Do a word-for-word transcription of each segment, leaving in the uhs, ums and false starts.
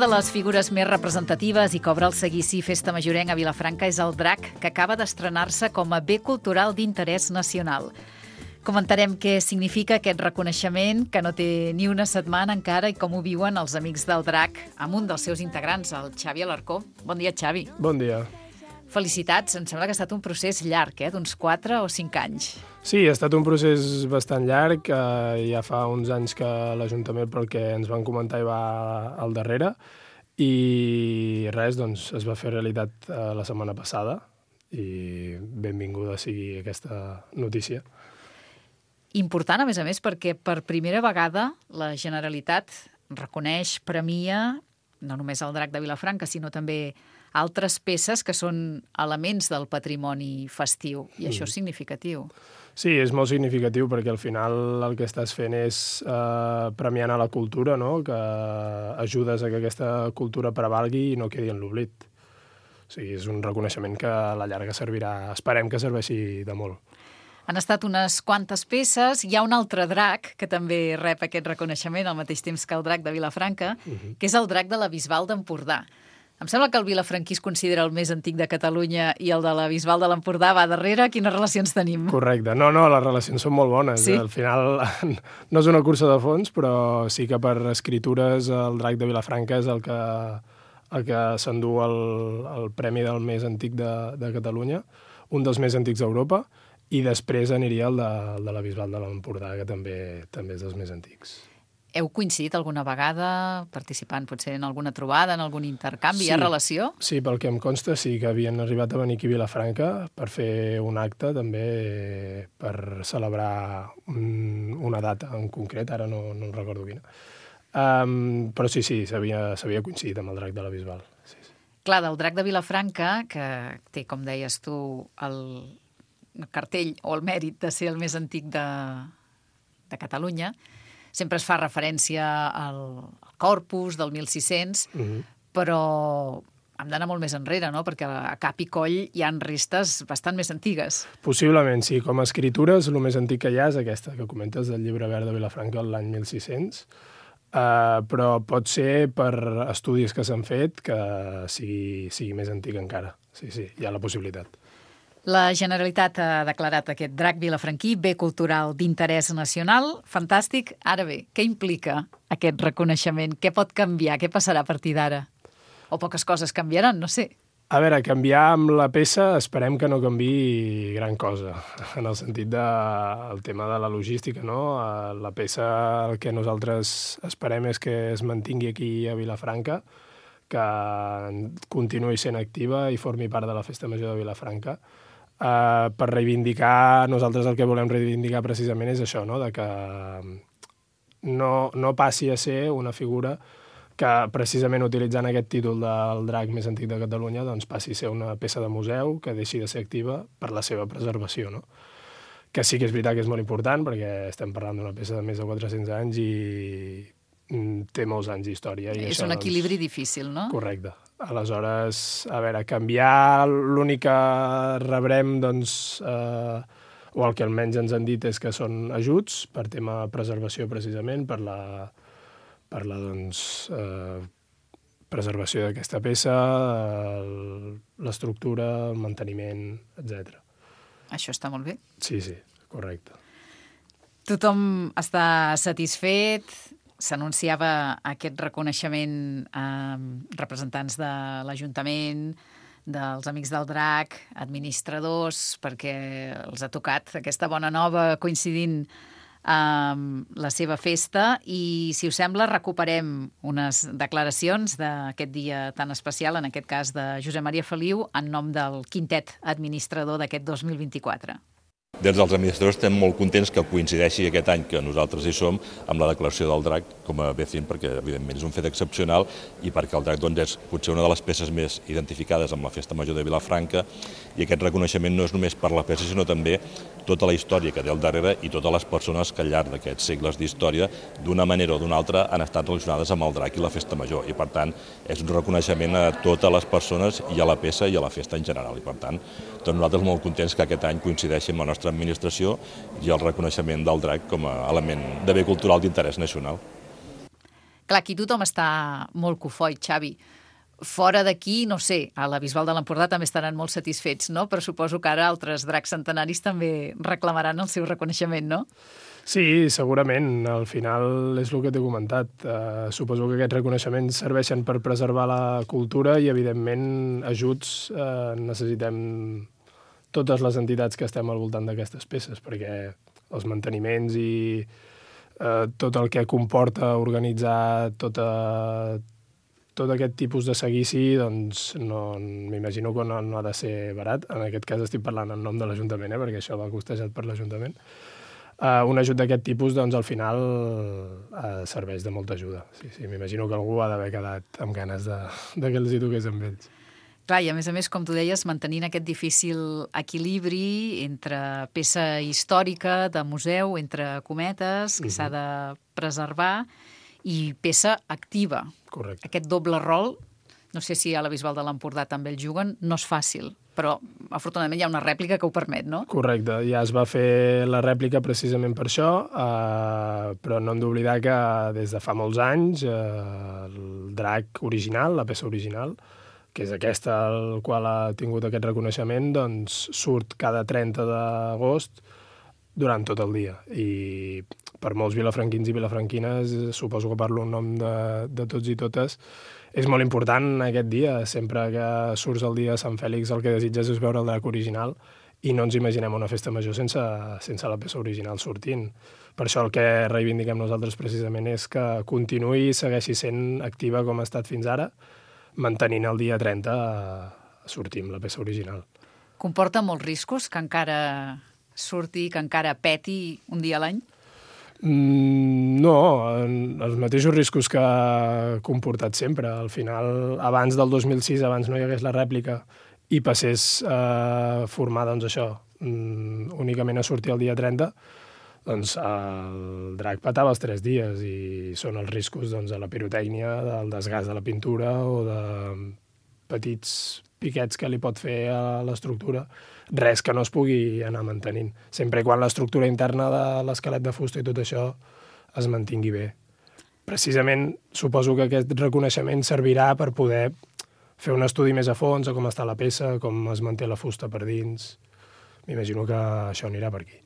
de les figures més representatives i que obre el seguici Festa Majorenc a Vilafranca és el drac, que acaba d'estrenar-se com a bé cultural d'interès nacional. Comentarem què significa aquest reconeixement, que no té ni una setmana encara, i com ho viuen els amics del drac amb un dels seus integrants, el Xavi Alarcó. Bon dia, Xavi. Bon dia. Felicitats, em sembla que ha estat un procés llarg, eh? d'uns quatre o cinc anys. Sí, ha estat un procés bastant llarg, eh, ja fa uns anys que l'Ajuntament, pel que ens van comentar, hi va al darrere, i res, doncs es va fer realitat eh, la setmana passada, i benvinguda sigui aquesta notícia. Important, a més a més, perquè per primera vegada la Generalitat reconeix, premia, no només el drac de Vilafranca, sinó també altres peces que són elements del patrimoni festiu, i això és significatiu. Sí, és molt significatiu perquè al final el que estàs fent és eh, premiant a la cultura, no? Que ajudes a que aquesta cultura prevalgui i no quedi en l'oblit. O sigui, és un reconeixement que a la llarga servirà, esperem que serveixi de molt. Han estat unes quantes peces. Hi ha un altre drac que també rep aquest reconeixement al mateix temps que el drac de Vilafranca, uh-huh. que és el drac de la Bisbal d'Empordà. Em sembla que el vilafranquí es considera el més antic de Catalunya i el de la Bisbal de l'Empordà va darrere. Quines relacions tenim? Correcte. No, no, les relacions són molt bones. Sí? Al final no és una cursa de fons, però sí que per escritures el drac de Vilafranca és el que, el que s'endú el, el premi del més antic de, de Catalunya, un dels més antics d'Europa, i després aniria el de, el de la Bisbal de l'Empordà, que també, també és dels més antics. Heu coincidit alguna vegada participant potser en alguna trobada, en algun intercanvi? Sí. Hi ha relació? Sí, pel que em consta sí que havien arribat a venir aquí a Vilafranca per fer un acte també per celebrar un, una data en concret, ara no, no recordo quina. Um, però sí, sí, s'havia coincidit amb el drac de la Bisbal. Sí, sí. Clar, del drac de Vilafranca, que té, com deies tu, el cartell o el mèrit de ser el més antic de, de Catalunya, sempre es fa referència al, al Corpus del mil sis-cents, uh-huh. però hem d'anar molt més enrere, no? Perquè a cap i coll hi ha restes bastant més antigues. Possiblement, sí. Com a escritures, el més antic que hi ha és aquesta que comentes del Llibre Verd de Vilafranca l'any mil sis-cents, uh, però pot ser per estudis que s'han fet que sigui, sigui més antic encara. Sí, sí, hi ha la possibilitat. La Generalitat ha declarat aquest drac vilafranquí bé cultural d'interès nacional. Fantàstic. Ara bé, què implica aquest reconeixement? Què pot canviar? Què passarà a partir d'ara? O poques coses canviaran, no sé. A veure, canviar amb la peça esperem que no canviï gran cosa, en el sentit del tema de la logística, no? La peça, el que nosaltres esperem és que es mantingui aquí a Vilafranca, que continuï sent activa i formi part de la Festa Major de Vilafranca. Uh, per reivindicar, nosaltres el que volem reivindicar precisament és això, no? De que no, no passi a ser una figura que precisament utilitzant aquest títol del drac més antic de Catalunya doncs passi a ser una peça de museu que deixi de ser activa per la seva preservació, no? Que sí que és veritat que és molt important perquè estem parlant d'una peça de més de quatre-cents anys i té molts anys d'història. És això, un equilibri doncs, difícil, no? Correcte. Aleshores, a veure, canviar l'únic que rebrem, doncs, eh, o el que almenys ens han dit és que són ajuts per tema preservació, precisament, per la, per la doncs, eh, preservació d'aquesta peça, l'estructura, el manteniment, etcètera. Això està molt bé. Sí, sí, correcte. Tothom està satisfet. S'anunciava aquest reconeixement a representants de l'Ajuntament, dels Amics del Drac, administradors, perquè els ha tocat aquesta bona nova coincidint amb la seva festa. I, si us sembla, recuperem unes declaracions d'aquest dia tan especial, en aquest cas de Josep Maria Feliu, en nom del quintet administrador d'aquest dos mil vint-i-quatre. Des dels administradors estem molt contents que coincideixi aquest any que nosaltres hi som amb la declaració del drac com a B C I N, perquè evidentment és un fet excepcional i perquè el drac doncs, és potser una de les peces més identificades amb la Festa Major de Vilafranca, i aquest reconeixement no és només per la peça sinó també tota la història que té al darrere i totes les persones que al llarg d'aquests segles d'història d'una manera o d'una altra han estat relacionades amb el drac i la Festa Major, i per tant és un reconeixement a totes les persones i a la peça i a la festa en general, i per tant doncs nosaltres molt contents que aquest any coincideixi amb la nostra administració i el reconeixement del drac com a element de bé cultural d'interès nacional. Clar, aquí tothom està molt cofoi, Xavi. Fora d'aquí, no sé, a la Bisbal de l'Empordà també estaran molt satisfets, no? Però suposo que ara altres dracs centenaris també reclamaran el seu reconeixement, no? Sí, segurament. Al final és el que t'he comentat. Uh, suposo que aquests reconeixements serveixen per preservar la cultura i, evidentment, ajuts uh, necessitem totes les entitats que estem al voltant d'aquestes peces, perquè els manteniments i uh, tot el que comporta organitzar tota tot aquest tipus de seguici, doncs no, m'imagino que no, no ha de ser barat. En aquest cas estic parlant en nom de l'Ajuntament, eh, perquè això va costejat per l'Ajuntament. Uh, un ajut d'aquest tipus, doncs, al final uh, serveix de molta ajuda. Sí, sí, m'imagino que algú ha d'haver quedat amb ganes de, de que els hi toqués amb ells. Clar, i a més a més, com tu deies, mantenint aquest difícil equilibri entre peça històrica, de museu, entre cometes, que mm-hmm. s'ha de preservar, i peça activa. Correcte. Aquest doble rol, no sé si a la Bisbal de l'Empordà també el juguen, no és fàcil, però afortunadament hi ha una rèplica que ho permet, no? Correcte, ja es va fer la rèplica precisament per això, eh, però no hem d'oblidar que des de fa molts anys eh, el drac original, la peça original, que és aquesta el qual ha tingut aquest reconeixement, doncs surt cada trenta d'agost durant tot el dia. I per molts vilafranquins i vilafranquines, suposo que parlo en nom de, de tots i totes, és molt important aquest dia. Sempre que surts el dia de Sant Fèlix el que desitges és veure el drac original i no ens imaginem una festa major sense, sense la peça original sortint. Per això el que reivindiquem nosaltres precisament és que continuï i segueixi sent activa com ha estat fins ara, mantenint el dia trenta sortir amb la peça original. Comporta molts riscos que encara surti, que encara peti un dia a l'any? Mm, no, els mateixos riscos que ha comportat sempre. Al final, abans del dos mil sis, abans no hi hagués la rèplica i passés a formar, doncs això, mm, únicament a sortir el dia trenta, doncs el drac petava els tres dies i són els riscos doncs, de la pirotècnia, del desgast de la pintura o de petits piquets que li pot fer a l'estructura, res que no es pugui anar mantenint, sempre quan l'estructura interna de l'esquelet de fusta i tot això es mantingui bé. Precisament suposo que aquest reconeixement servirà per poder fer un estudi més a fons de com està la peça, com es manté la fusta per dins. M'imagino que això anirà per aquí.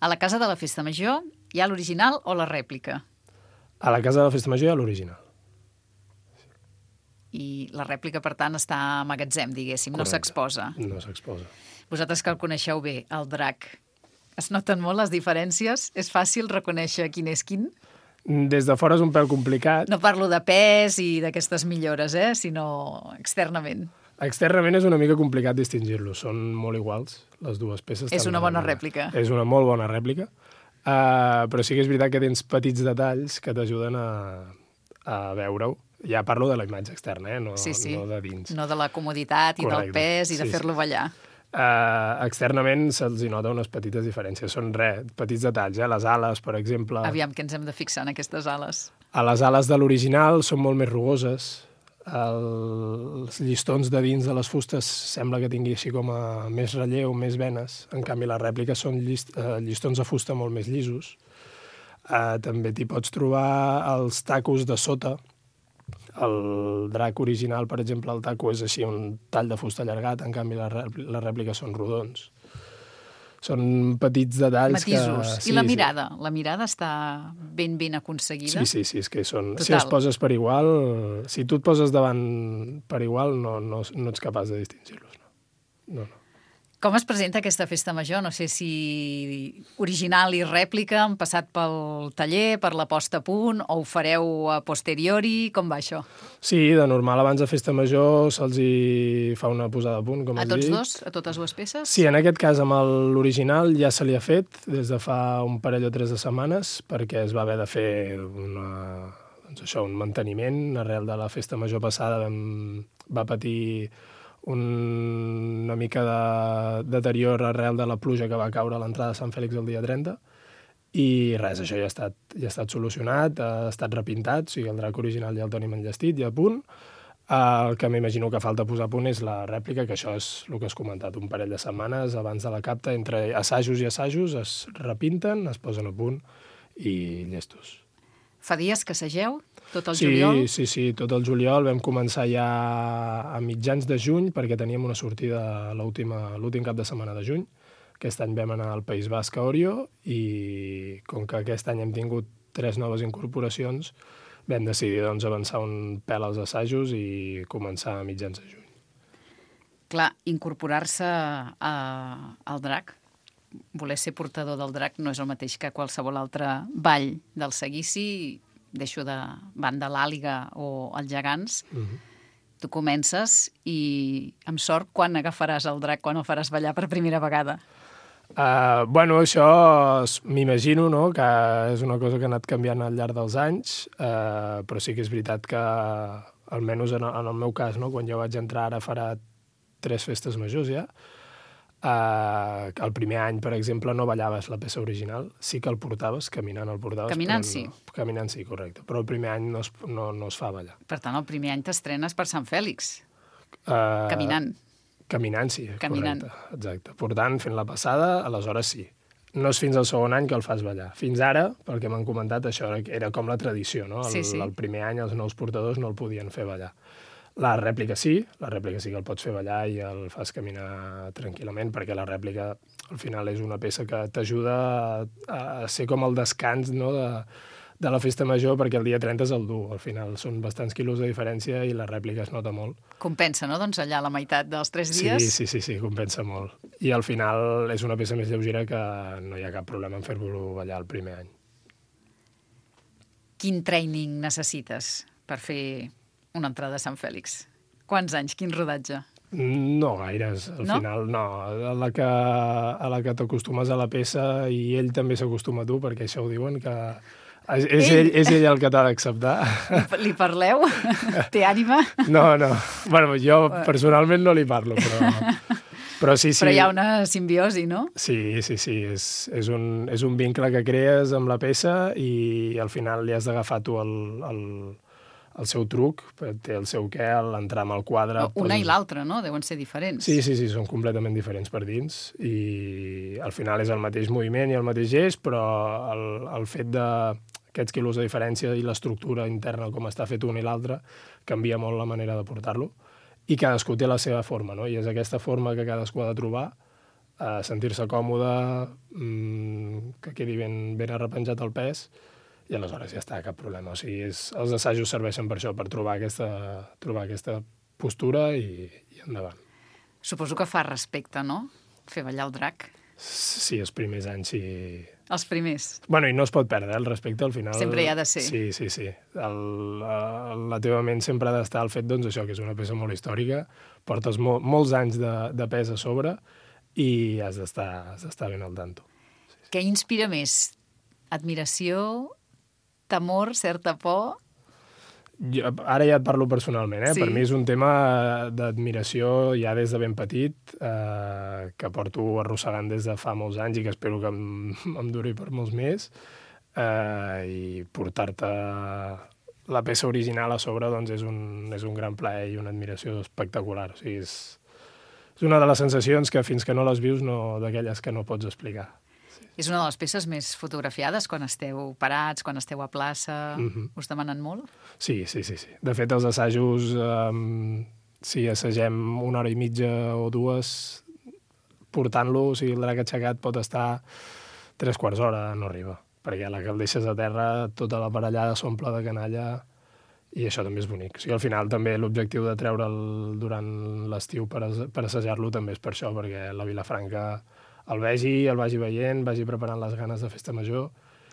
A la Casa de la Festa Major hi ha l'original o la rèplica? A la Casa de la Festa Major hi ha l'original. I la rèplica, per tant, està a magatzem, diguéssim, Correcte. No s'exposa. No s'exposa. Vosaltres que el coneixeu bé, el drac, es noten molt les diferències? És fàcil reconèixer quin és quin? Des de fora és un pèl complicat. No parlo de pes i d'aquestes millores, eh? Sinó externament. Externament és una mica complicat distingir-los. Són molt iguals, les dues peces. És una bona rèplica. És una molt bona rèplica. Uh, però sí que és veritat que tens petits detalls que t'ajuden a, a veure-ho. Ja parlo de la imatge externa, eh? no, sí, sí. no de dins. No de la comoditat i Correcte. Del pes i de sí, fer-lo sí. ballar. Uh, externament se'ls hi nota unes petites diferències. Són res, petits detalls, eh? Les ales, per exemple. Aviam que ens hem de fixar en aquestes ales. A les ales de l'original són molt més rugoses. El, els llistons de dins de les fustes sembla que tingui així com a més relleu, més venes. En canvi, les rèpliques són llist, uh, llistons de fusta molt més llisos. Uh, també t'hi pots trobar els tacos de sota. El drac original, per exemple, el taco és així un tall de fusta allargat, en canvi les rèpliques són rodons. Són petits detalls matisos. Que... I la mirada? Sí. La mirada està ben ben aconseguida? Sí, sí, sí, és que són... Total. Si els poses per igual, si tu et poses davant per igual, no, no, no ets capaç de distingir-los. No, no. no. Com es presenta aquesta festa major? No sé si original i rèplica han passat pel taller, per la posta a punt, o ho fareu a posteriori? Com va això? Sí, de normal abans de festa major se'ls hi fa una posada a punt, com a has tots dit. dos? A totes dues peces? Sí, en aquest cas amb l'original ja se li ha fet des de fa un parell o tres de setmanes, perquè es va haver de fer una, doncs això, un manteniment. Arrel de la festa major passada vam, va patir un, una mica de deterior arrel de la pluja que va caure a l'entrada de Sant Fèlix el dia trenta, i res, això ja ha estat, ja ha estat solucionat, ha estat repintat, o sigui, el drac original ja el tenim enllestit, ja a punt. El que m'imagino que falta posar a punt és la rèplica, que això és el que has comentat, un parell de setmanes abans de la capta, entre assajos i assajos es repinten, es posen a punt i llestos. Fa dies que segeu? Tot el sí, juliol? Sí, sí, tot el juliol. Vam començar ja a mitjans de juny, perquè teníem una sortida l'últim cap de setmana de juny. Aquest any vam anar al País Basc a Orio i com que aquest any hem tingut tres noves incorporacions, vam decidir doncs, avançar un pèl als assajos i començar a mitjans de juny. Clar, incorporar-se al drac, voler ser portador del drac no és el mateix que qualsevol altre ball del seguici, deixo de banda l'àliga o els gegants. Mm-hmm. Tu comences i, amb sort, quan agafaràs el drac, quan el faràs ballar per primera vegada? Uh, bueno, això m'imagino, no?, que és una cosa que ha anat canviant al llarg dels anys, uh, però sí que és veritat que, almenys en, en el meu cas, no?, quan jo vaig entrar ara farà tres festes majors ja, uh, el primer any, per exemple, no ballaves la peça original, sí que el portaves, caminant el portaves. Caminant, sí. No, caminant, sí, correcte, però el primer any no es, no, no es fa ballar. Per tant, el primer any t'estrenes per Sant Fèlix, uh, caminant. Caminant, sí, Caminant. correcte, exacte. Portant, fent la passada, aleshores sí. No és fins al segon any que el fas ballar. Fins ara, pel que m'han comentat, això era com la tradició, no? El, sí, sí. el primer any els nous portadors no el podien fer ballar. La rèplica sí, la rèplica sí que el pots fer ballar i el fas caminar tranquil·lament, perquè la rèplica al final és una peça que t'ajuda a, a ser com el descans, no?, de, de la festa major, perquè el dia trenta és el dur. Al final són bastants quilos de diferència i la rèplica es nota molt. Compensa, no?, doncs allà la meitat dels tres dies. Sí, sí, sí, sí, compensa molt. I al final és una peça més lleugera que no hi ha cap problema en fer-lo ballar el primer any. Quin training necessites per fer una entrada a Sant Fèlix? Quants anys? Quin rodatge? No gaires, al no? final no. A la que, a la que t'acostumes a la peça i ell també s'acostuma a tu, perquè això ho diuen, que és ell, ell, és ell el que t'ha d'acceptar. Li, li parleu? Té ànima? No, no. Bueno, jo personalment no li parlo, però... Però, sí, sí. Però hi ha una simbiosi, no? Sí, sí, sí. És, és, un, és un vincle que crees amb la peça i al final li has d'agafar tu el, el, el seu truc, té el seu què, l'entrar amb el quadre... No, una poses... i l'altra, no? Deuen ser diferents. Sí, sí, sí, són completament diferents per dins i al final és el mateix moviment i el mateix gest, però el, el fet d'aquests quilos de diferència i l'estructura interna, com està fet un i l'altre, canvia molt la manera de portar-lo. I cadascú té la seva forma, no? I és aquesta forma que cadascú ha de trobar, eh, sentir-se còmode, mmm, que quedi ben, ben arrepenjat el pes, i aleshores ja està, cap problema. O sigui, és, els assajos serveixen per això, per trobar aquesta, trobar aquesta postura i, i endavant. Suposo que fa respecte, no?, fer ballar el drac. Sí, els primers anys sí. Els primers. Bueno, i no es pot perdre, el respecte al final... Sempre hi ha de ser. Sí, sí, sí. El, el, la teva ment sempre ha d'estar al fet, doncs, això, que és una peça molt històrica, portes mol, molts anys de, de pes a sobre i has d'estar has d'estar ben al tanto. Sí, sí. Què inspira més? Admiració, temor, certa por? Jo, ara ja et parlo personalment, eh? Sí. Per mi és un tema d'admiració ja des de ben petit, eh, que porto arrossegant des de fa molts anys i que espero que em, em duri per molts més, eh, i portar-te la peça original a sobre doncs és, un, és un gran plaer i una admiració espectacular. O sigui, és, és una de les sensacions que fins que no les vius, no, d'aquelles que no pots explicar. És una de les peces més fotografiades quan esteu parats, quan esteu a plaça. Mm-hmm. Us demanen molt? Sí, sí, sí, sí. De fet, els assajos, um, si assagem una hora i mitja o dues, portant-lo, o sigui, el drac aixecat pot estar tres quarts d'hora, no arriba. Perquè a la que el deixes a terra, tota la parellada s'omple de canalla i això també és bonic. O sigui, al final també l'objectiu de treure'l durant l'estiu per, per assajar-lo també és per això, perquè la Vilafranca el vegi, el vagi veient, vagi preparant les ganes de festa major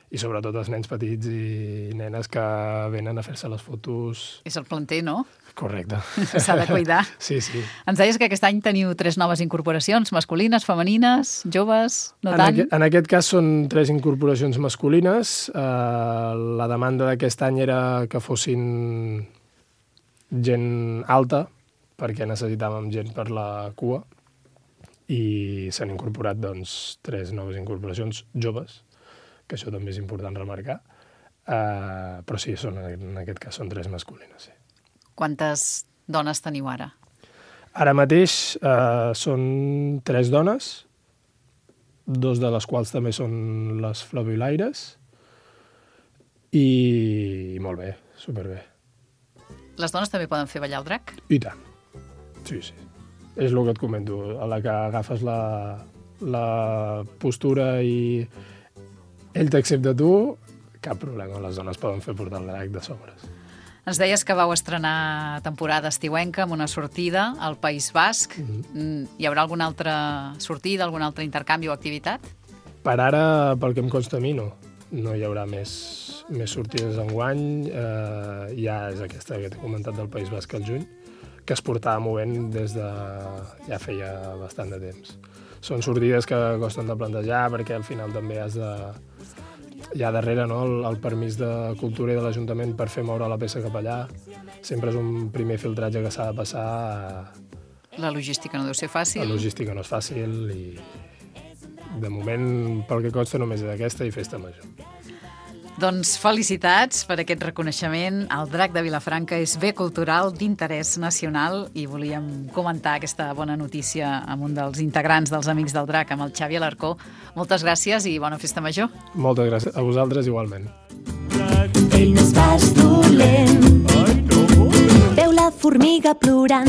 i sobretot els nens petits i nenes que venen a fer-se les fotos. És el planter, no? Correcte. S'ha de cuidar. Sí, sí. Ens deies que aquest any teniu tres noves incorporacions, masculines, femenines, joves, no en tant? Aqu en aquest cas són tres incorporacions masculines. Uh, la demanda d'aquest any era que fossin gent alta, perquè necessitàvem gent per la cua, i s'han incorporat doncs, tres noves incorporacions joves, que això també és important remarcar, uh, però sí, són, en aquest cas són tres masculines. Sí. Quantes dones teniu ara? Ara mateix uh, són tres dones, dos de les quals també són les flabiolaires, i, i molt bé, superbé. Les dones també poden fer ballar el drac? I tant. Sí, sí. És el que et comento. A la que agafes la, la postura i ell t'accepta tu, cap problema. Les dones poden fer portar el drac de sobres. Ens deies que vau estrenar temporada estiuenca amb una sortida al País Basc. Mm-hmm. Hi haurà alguna altra sortida, algun altre intercanvi o activitat? Per ara, pel que em consta a mi, no. No hi haurà més, més sortides enguany. Eh, ja és aquesta que t'he comentat del País Basc al juny, que es portava movent des de ja feia bastant de temps. Són sortides que costen de plantejar perquè al final també has de... Hi ha darrere, no?, el, el permís de cultura i de l'Ajuntament per fer moure la peça cap allà. Sempre és un primer filtratge que s'ha de passar. La logística no deu ser fàcil. La logística no és fàcil i de moment, pel que consta, només és aquesta i festa major. Doncs felicitats per aquest reconeixement. El Drac de Vilafranca és bé cultural d'interès nacional i volíem comentar aquesta bona notícia amb un dels integrants dels Amics del Drac, amb el Xavi Alarcó. Moltes gràcies i bona festa major. Moltes gràcies. A vosaltres igualment. Ell no és pas dolent. Veu la formiga plorant